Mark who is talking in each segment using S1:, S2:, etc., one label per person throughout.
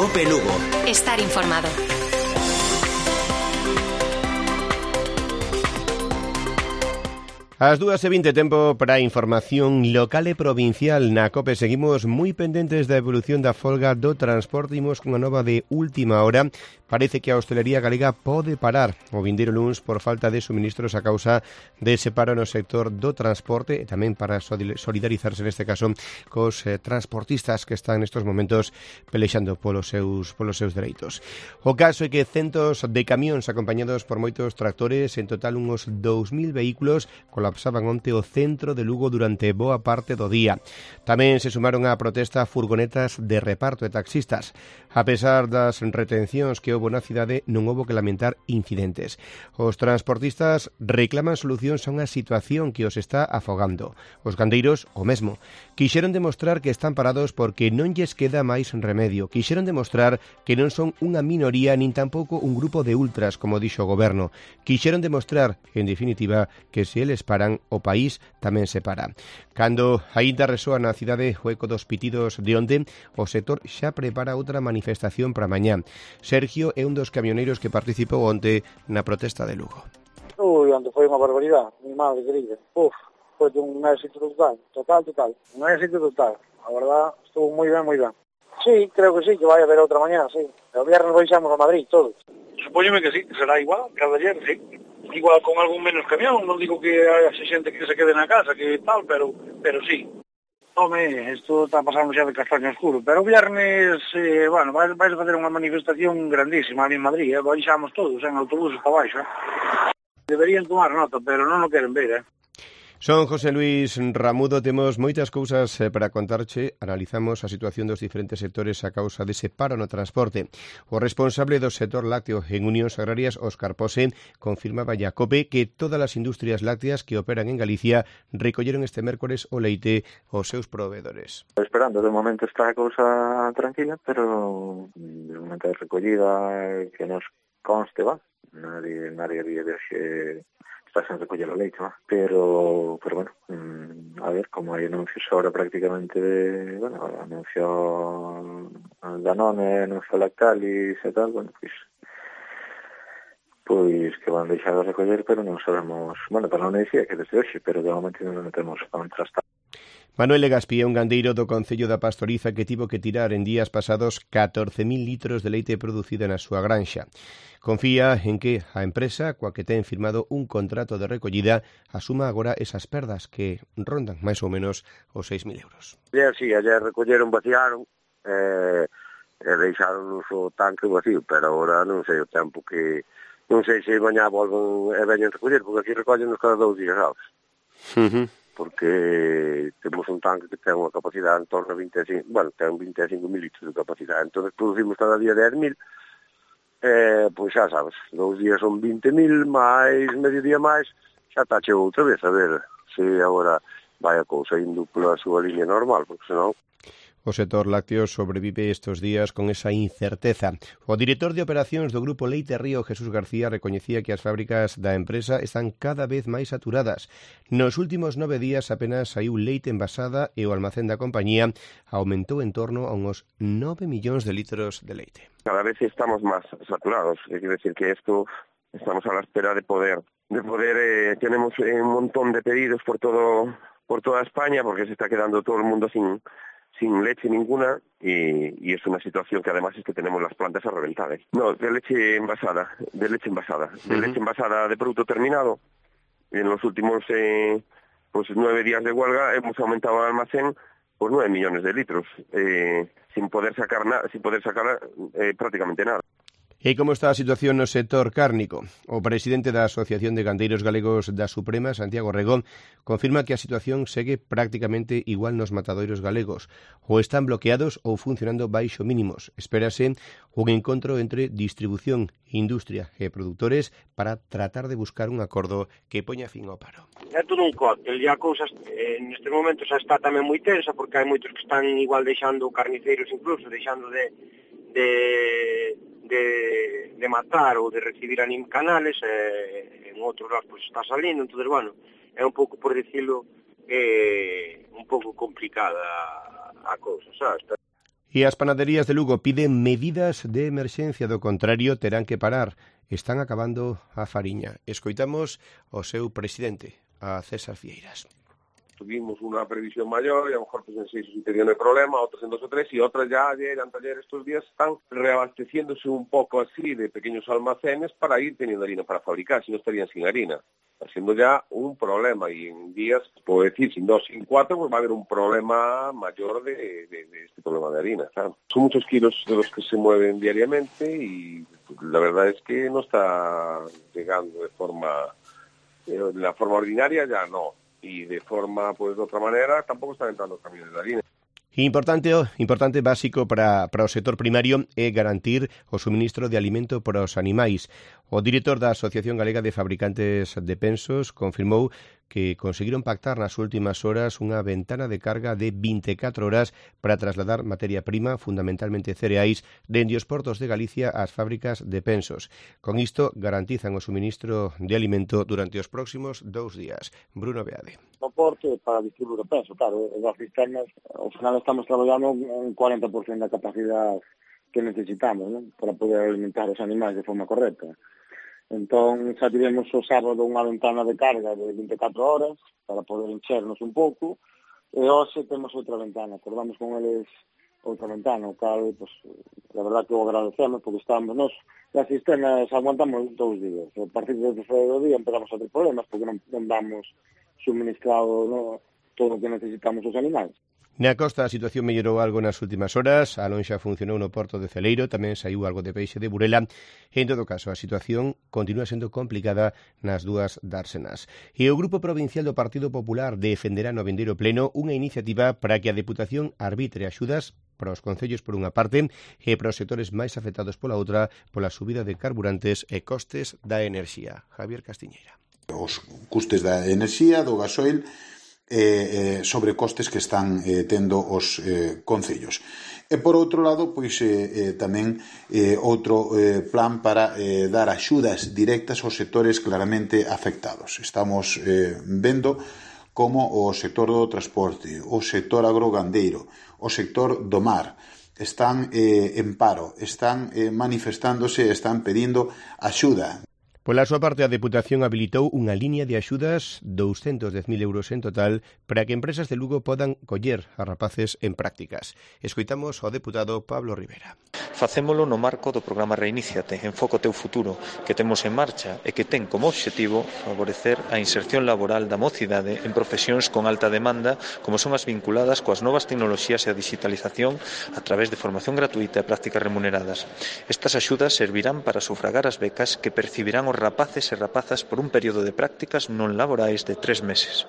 S1: COPE Lugo.
S2: Estar informado.
S3: As 2:20, tempo para a información local e provincial na COPE. Seguimos moi pendentes da evolución da folga do transporte. Imos cunha nova de última hora. Parece que a hostelería galega pode parar o vindeiro luns por falta de suministros a causa dese paro no sector do transporte e tamén para solidarizarse neste caso cos transportistas que están nestes momentos pelexando polos seus dereitos. O caso é que centos de camións acompañados por moitos tractores, en total uns 2.000 vehículos, colapsaban onte o centro de Lugo durante boa parte do día. Tamén se sumaron á protesta furgonetas de reparto e taxistas. A pesar das retencións que houbo na cidade, non houbo que lamentar incidentes. Os transportistas reclaman solucións a unha situación que os está afogando. Os gandeiros, o mesmo. Quixeron demostrar que están parados porque non lles queda máis remedio. Quixeron demostrar que non son unha minoría nin tampouco un grupo de ultras, como dixo o goberno. Quixeron demostrar, en definitiva, que se eles paran, o país tamén se para. Cando aínda resoa na cidade o eco dos pitidos de onte, o sector xa prepara outra manifestación para mañá. Sergio é un dos camioneiros que participou onte na protesta de Lugo.
S4: Onde foi unha barbaridade, mi madre querida. Foi un éxito total. Un éxito total. A verdad, estuvo moi ben, moi ben. Sí, creo que sí, que vai haber outra mañá, sí. O viernes baixamos a Madrid, todos.
S5: Supóñome que sí, que será igual, cada ayer, sí. Igual con algún menos camión, non digo que haya xente que se quede na casa, que tal, pero sí. Home, isto está pasando xa de castaño oscuro, pero o viernes, vais a facer unha manifestación grandísima ali en Madrid, baixamos todos en autobuses para baixo. Deberían tomar nota, pero non o queren ver,
S3: Son José Luis Ramudo, temos moitas cousas para contarche. Analizamos a situación dos diferentes sectores a causa dese paro no transporte. O responsable do sector lácteo en Unións Agrarias, Óscar Pose, confirmaba a COPE que todas as industrias lácteas que operan en Galicia recolleron este mércores o leite aos seus proveedores.
S6: Esperando, de momento está a cousa tranquila, pero de momento de recollida que nos conste, nadie ría de xe está sen recoller o leite, pero bueno, a ver, como hai anuncios ahora prácticamente anuncio Danone, anuncio Lactalis e tal, pois que van deixar de recoller, pero non sabemos, para non dicir que desde hoxe, pero de momento non temos a contrastar.
S3: Manuel Legaspi é un gandeiro do Concello da Pastoriza que tivo que tirar en días pasados 14.000 litros de leite producida na súa granxa. Confía en que a empresa, coa que ten firmado un contrato de recollida, asuma agora esas perdas que rondan máis ou menos os 6.000 euros.
S7: Sí, ayer recolleron, vaciaron, e deixaron o tanque vacío, pero agora non sei o tempo que... Non sei se mañá volven e veñen recoller, porque aquí recollen cada 2 días, sabes? Porque temos un tanque que ten unha capacidade en torno a 25, ten 25.000 litros de capacidade, entón producimos cada día 10.000, pois xa sabes, 2 días son 20.000, máis medio día máis, xa está cheo outra vez, a ver se agora vai a cousa indo pola súa línea normal, porque senón...
S3: O sector lácteo sobrevive estes días con esa incerteza. O director de operacións do Grupo Leite Río, Jesús García, recoñecía que as fábricas da empresa están cada vez máis saturadas. Nos últimos 9 días apenas saiu leite envasada e o almacén da compañía aumentou en torno a uns 9 millóns de litros de leite.
S7: Cada vez estamos máis saturados, é decir que esto estamos a la espera de poder tenemos un montón de pedidos por toda España, porque se está quedando todo el mundo sin leche ninguna y es una situación que además es que tenemos las plantas a reventar. No, de leche envasada, de leche envasada de producto terminado. En los últimos 9 días de huelga hemos aumentado el almacén por 9 millones de litros, sin poder sacar prácticamente nada.
S3: E como está a situación no sector cárnico? O presidente da Asociación de Gandeiros Galegos da Suprema, Santiago Regón, confirma que a situación segue prácticamente igual nos matadoiros galegos. Ou están bloqueados ou funcionando baixo mínimos. Espérase un encontro entre distribución, industria e produtores para tratar de buscar un acordo que poña fin ao paro.
S5: É todo un cóctel, e a cousa neste momento xa está tamén moi tensa, porque hai moitos que están igual deixando carniceiros incluso, deixando de matar ou de recibir canales, en outros lados pues está salindo, entonces é un pouco, por decirlo, un pouco complicada a cousa, sabes?
S3: E as panaderías de Lugo piden medidas de emerxencia, do contrario terán que parar. Están acabando a fariña. Escoitamos o seu presidente, a César Fieiras.
S1: Tuvimos una previsión mayor y a lo mejor pues en 6 o 7 días no hay problema, otros en 2 o 3 y otras ya ayer, anteayer, estos días están reabasteciéndose un poco así de pequeños almacenes para ir teniendo harina para fabricar, si no estarían sin harina. Haciendo ya un problema y en días, puedo decir, sin 2, sin 4, pues va a haber un problema mayor de este problema de harina, claro. Son muchos kilos de los que se mueven diariamente y la verdad es que no está llegando de la forma ordinaria ya no. Y de forma, pues de otra manera, tampouco están entrando camiones de harina.
S3: Importante básico para o sector primario é garantir o suministro de alimento para os animais. O director da Asociación Galega de Fabricantes de Pensos confirmou que conseguiron pactar nas últimas horas unha ventana de carga de 24 horas para trasladar materia prima, fundamentalmente cereais, dende os portos de Galicia ás fábricas de pensos. Con isto garantizan o suministro de alimento durante os próximos 2 días. Bruno Beade.
S4: No porto para distribuir o penso, claro, as cisternas, ao final estamos traballando un 40% da capacidade que necesitamos, ¿no?, para poder alimentar os animais de forma correcta. Entón, xa tivemos o sábado unha ventana de carga de 24 horas para poder enchernos un pouco, e hoxe temos outra ventana, acordamos con eles outra ventana, o cal, pues, la verdad que o agradecemos, porque estamos nos, as cisternas aguantamos 2 días, a partir do terceiro día empezamos a ter problemas, porque non damos suministrado, no, todo o que necesitamos os animais.
S3: Na costa a situación mellorou algo nas últimas horas, a lonxa funcionou no porto de Celeiro, tamén saiu algo de peixe de Burela. En todo caso, a situación continúa sendo complicada nas dúas dársenas. E o Grupo Provincial do Partido Popular defenderá no vindeiro pleno unha iniciativa para que a Deputación arbitre axudas para os concellos por unha parte e para os sectores máis afectados pola outra pola subida de carburantes e costes da enerxía. Javier Castiñeira.
S2: Os custes da enerxía, do gasoil, sobre costes que están tendo os concellos. E por outro lado, pois tamén outro plan para dar axudas directas aos sectores claramente afectados. Estamos vendo como o sector do transporte, o sector agrogandeiro, o sector do mar están en paro, están manifestándose, están pedindo axuda.
S3: Pola súa parte, a Deputación habilitou unha liña de axudas 210.000 euros en total para que empresas de Lugo podan coller a rapaces en prácticas. Escoitamos ao deputado Pablo Rivera.
S8: Facémolo no marco do programa Reiníciate, Enfoca o teu futuro, que temos en marcha e que ten como obxectivo favorecer a inserción laboral da mocidade en profesións con alta demanda, como son as vinculadas coas novas tecnoloxías e a digitalización a través de formación gratuita e prácticas remuneradas. Estas axudas servirán para sufragar as becas que percibirán os rapaces e rapazas por un período de prácticas non laborais de 3 meses.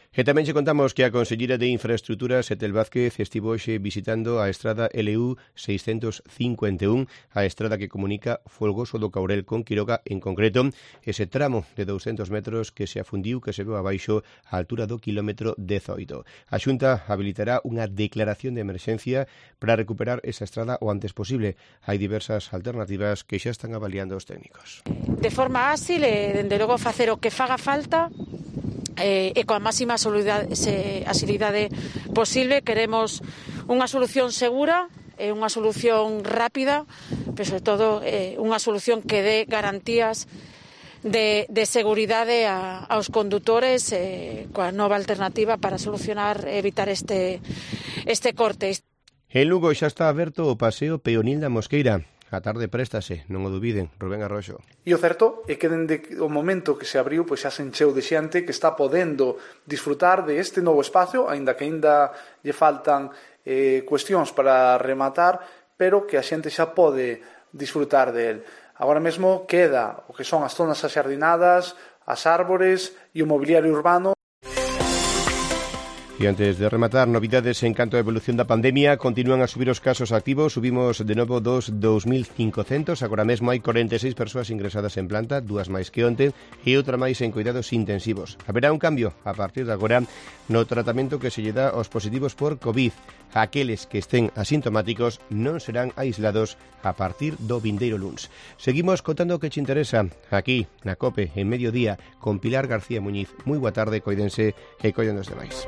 S3: E tamén che contamos que a Conselleira de Infraestructuras, Etel Vázquez, estivo hoxe visitando a estrada LU 651, a estrada que comunica Folgoso do Caurel con Quiroga, en concreto, ese tramo de 200 metros que se afundiu, que se veu abaixo á altura do kilómetro 18. A Xunta habilitará unha declaración de emerxencia para recuperar esa estrada o antes posible. Hai diversas alternativas que xa están avaliando os técnicos.
S9: De forma áxil e, dende logo, facer o que faga falta e coa máxima axilidade posible. Queremos unha solución segura e unha solución rápida, pero sobre todo unha solución que dé garantías de seguridade aos condutores coa nova alternativa para solucionar e evitar este corte.
S3: En Lugo xa está aberto o paseo peonil da Mosqueira. A tarde préstase, non o dubiden. Rubén Arroxo.
S10: E o certo é que dende o momento que se abriu, pois xa se encheu de xente que está podendo disfrutar de este novo espacio, aínda que aínda lle faltan cuestións para rematar, pero que a xente xa pode disfrutar del. Agora mesmo queda o que son as zonas axardinadas, as árbores e o mobiliario urbano.
S3: E antes de rematar, novidades en canto a evolución da pandemia. Continúan a subir os casos activos. Subimos de novo 2.500. Agora mesmo hai 46 persoas ingresadas en planta, 2 máis que onte e outra máis en cuidados intensivos. Haberá un cambio a partir de agora no tratamento que se lle dá aos positivos por COVID. Aqueles que estén asintomáticos non serán aislados a partir do vindeiro luns. Seguimos contando o que che interesa aquí na COPE en mediodía con Pilar García Muñiz. Moi boa tarde, coidense e coidan dos demais.